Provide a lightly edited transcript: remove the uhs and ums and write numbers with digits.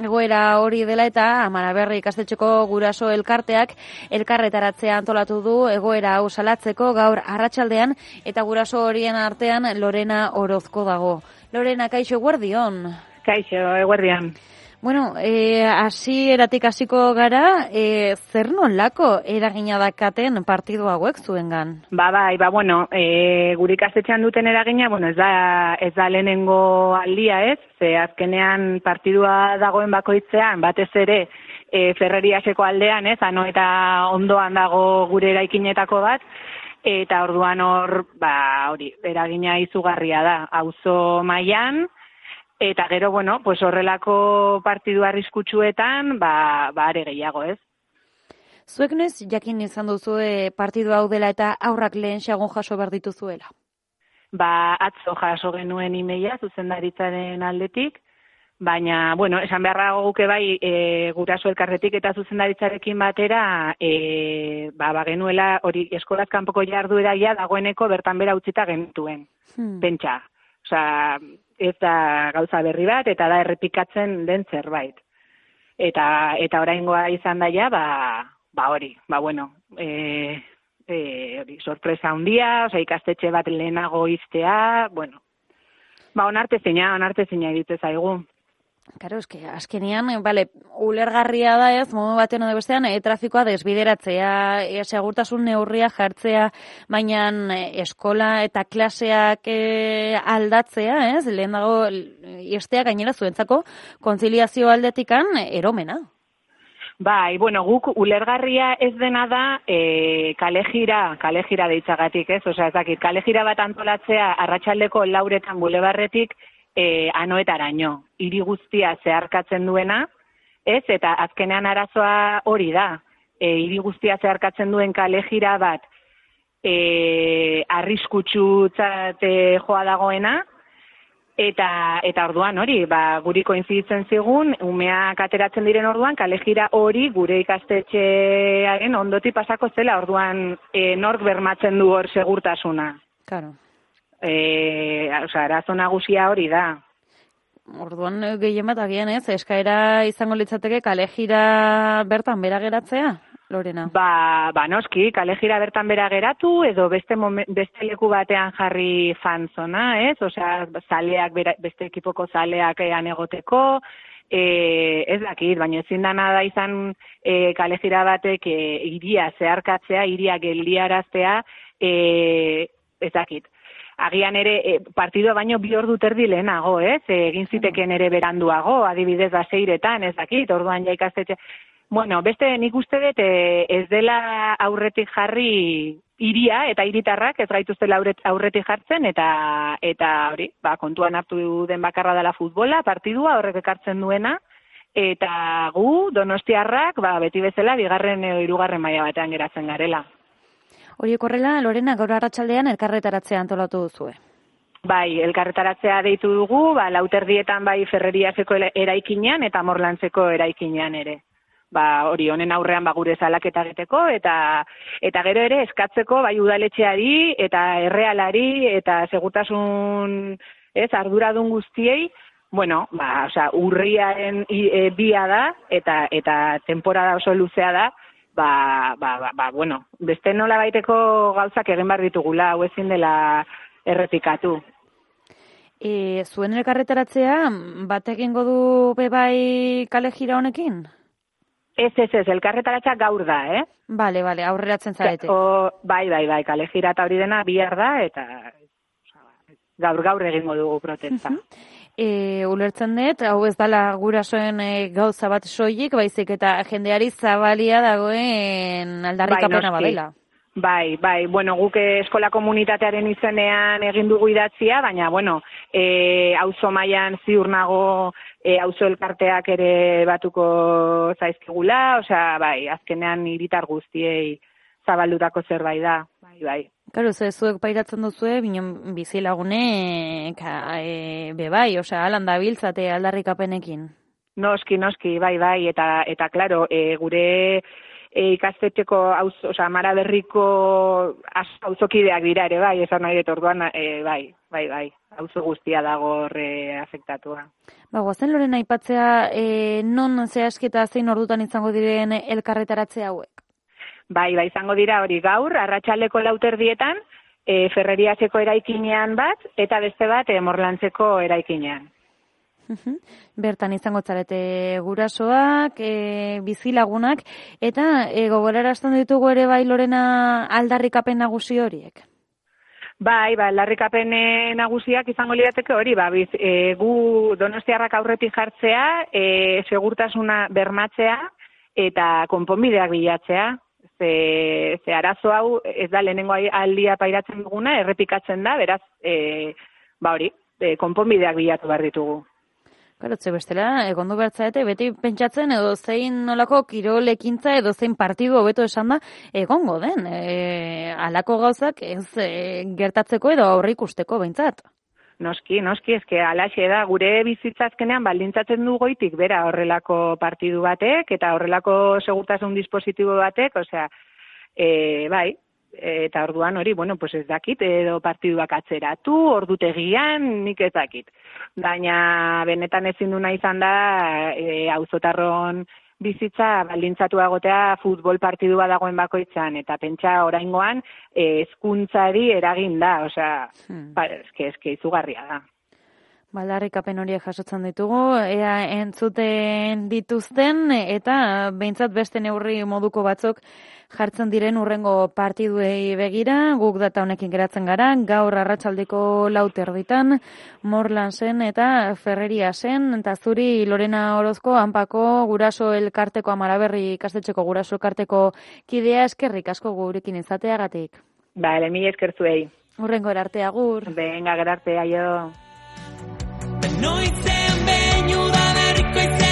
egoera hori dela eta Amaraberri ikastetxeko guraso elkarteak elkarretaratzea antolatu du egoera hau salatzeko gaur arratsaldean eta guraso horien artean Lorena Orozko dago. Lorena, kaixo, eguerdion. Kaixo, eguerdion. Bueno, hasieratik hasiko gara, zer nolako eragina dakaten partidu hauek zuengan? Bueno, gure ikastetxean duten eragina, bueno, ez da lehenengo aldia, ez? Ze azkenean partidua dagoen bakoitzean, batez ere Ferreriaseko aldean, ez? Ano eta ondoan dago gure eraikinetako bat, eta orduan hor, hori, eragina izugarria da, auzo mailan. Eta gero, bueno, pues horrelako partidu arriskutsuetan, are gehiago, ez? Zuek noiz jakin izan duzue partidu hau dela eta aurrak lehen xagon jaso behar dituzuela? Atzo jaso genuen emaila zuzendaritzaren aldetik, baina, bueno, esan beharra guke bai, guraso elkarretik eta zuzendaritzarekin batera, genuela hori eskolaz kanpoko jardueraia dagoeneko bertan bera utzita genituen, pentsa. Osea, ez da gauza berri bat, eta da errepikatzen den zerbait. Eta oraingoa izan daia, hori, sorpresa handia, osea, ikastetxe bat lehenago iztea, bueno, onartezina egite zaigu. Karo, azkenean, ulergarria da ez, modu batean edo bestean, trafikoa desbideratzea, segurtasun neurria jartzea, baina eskola eta klaseak aldatzea, ez, lehen dago, estea gainera zuentzako, kontziliazio aldetikan eromena. Guk ulergarria ez dena da kalejira deitzagatik, ez, osea, ez dakit, kalejira bat antolatzea arratsaldeko 4 bulebarretik, anoetaraino, hiri guztia zeharkatzen duena, ez, eta azkenean arazoa hori da, hiri guztia zeharkatzen duen kalejira bat arriskutsutzat joa dagoena, eta orduan hori, guri koinziditzen zigun, umeak ateratzen diren orduan, kalejira hori gure ikastetxearen ondoti pasako zela, orduan nork bermatzen du hor segurtasuna. Claro. Arazo nagusia hori da. Orduan gehien bat agian ez, eskaera izango litzateke kalejira bertan bera geratzea, Lorena? Noski, kalejira bertan bera geratu, edo beste leku batean jarri fanzona, ez? Osea, zaleak, beste ekipoko zaleak egoteko, ez dakit, baina ezin dana da izan kalejira batek hiria zeharkatzea, hiria geldiaraztea, ez dakit. Agian ere partidua baino 2 ordu terdi lehenago, ez? Egin ziteken ere beranduago, adibidez 6:00, ez dakit, orduan ja ikastetxe. Bueno, beste nik uste dut ez dela aurretik jarri hiria eta hiritarrak ez gaituztela aurretik jartzen eta hori, kontuan hartu den bakarra dela futbola, partidua horrek ekartzen duena eta gu donostiarrak beti bezala 2. edo 3. maila batean geratzen garela. Horiek horrela, Lorena, gaur arratsaldean elkarretaratzea antolatu duzue. Elkarretaratzea deitu dugu, 4:00 bai Ferreriaseko eraikinean eta Morlantzeko eraikinean ere. Hori honen aurrean gure salaketa egiteko eta gero ere eskatzeko bai udaletxeari eta errealari eta segurtasun arduradun guztiei, urriaren 2 da eta temporada oso luzea da, beste nola baiteko gauzak egin behar ditugula, hau ezin dela errepikatu. Zuen elkarretaratzea, bat egingo du bebai kalejira honekin? Ez, elkarretaratzea gaur da, eh? Bale, aurreratzen zarete. Bai, kalejira eta hori dena bihar da, eta gaur egingo dugu protesta. Ulertzen dut, hau ez dala gurasoen gauza bat soilik, baizik eta jendeari zabalia dagoen aldarrikapena badela. Bai, guk eskola komunitatearen izenean egin dugu idatzia, baina, auzo mailan ziur nago auzo elkarteak ere batuko zaizkigula, osea, azkenean hiritar guztiei zabaldutako zerbait da, bai. Karo, zuek pairatzen duzue, binen bizilagunek, bai, osea, alan dabiltzate aldarrikapenekin. Noski, bai, eta klaro, gure ikastetxeko Mara Berriko auzokideak dira ere bai, esan nahi dut orduan bai, auzo guztia dago afektatua. Goazen Lorena aipatzea non zehazketa zein ordutan izango diren elkarretaratze hauek? Bai, izango dira hori gaur, arratsaldeko 4:00 Ferreriaseko eraikinean bat, eta beste bat Morlantzeko eraikinean. Bertan izango zarete gurasoak, bizilagunak, eta gogorarazten ditugu ere bai Lorena aldarrikapen nagusi horiek? Bai, aldarrikapen nagusiak izango lirateke hori, gu donostiarrak aurretik jartzea, segurtasuna bermatzea, eta konponbideak bilatzea. Ze arazo hau ez da lehenengo aldia pairatzen duguna, errepikatzen da, beraz, konponbideak bilatu behar ditugu. Karotze bestela, egondu bertzaete, beti pentsatzen edo zein nolako kirol ekintza edo zein partidu hobeto esan da, egongo den, halako gauzak ez gertatzeko edo aurreikusteko behintzat. Noski, eske alaxe da, gure bizitzazkenean baldintzatzen du goitik, bera horrelako partidu batek, eta horrelako segurtasun dispositibo batek, bai, eta orduan hori, pues ez dakit, edo partiduak atzeratu, ordutegian, nik ez dakit. Baina benetan ezin duna izan da, auzotarron bizitza baldintzatu agotea futbol partidu bat dagoen bakoitzan, eta pentsa oraingoan hezkuntzari eragin da, eske izugarria da. Aldarrikapen horiek jasotzen ditugu, ea entzuten dituzten, eta behintzat beste neurri moduko batzuk jartzen diren urrengo partiduei begira, guk data honekin geratzen gara, gaur arratsaldeko 4:00 Morlansen eta Ferreriasen, eta zuri Lorena Orozko Anpako guraso elkarteko Mara Berri ikastetxeko guraso elkarteko kidea eskerrik asko gurekin izateagatik. Mila esker zuei. Urrengo erarte agur. Venga, gerarte, aio. Noizen behin udaberriko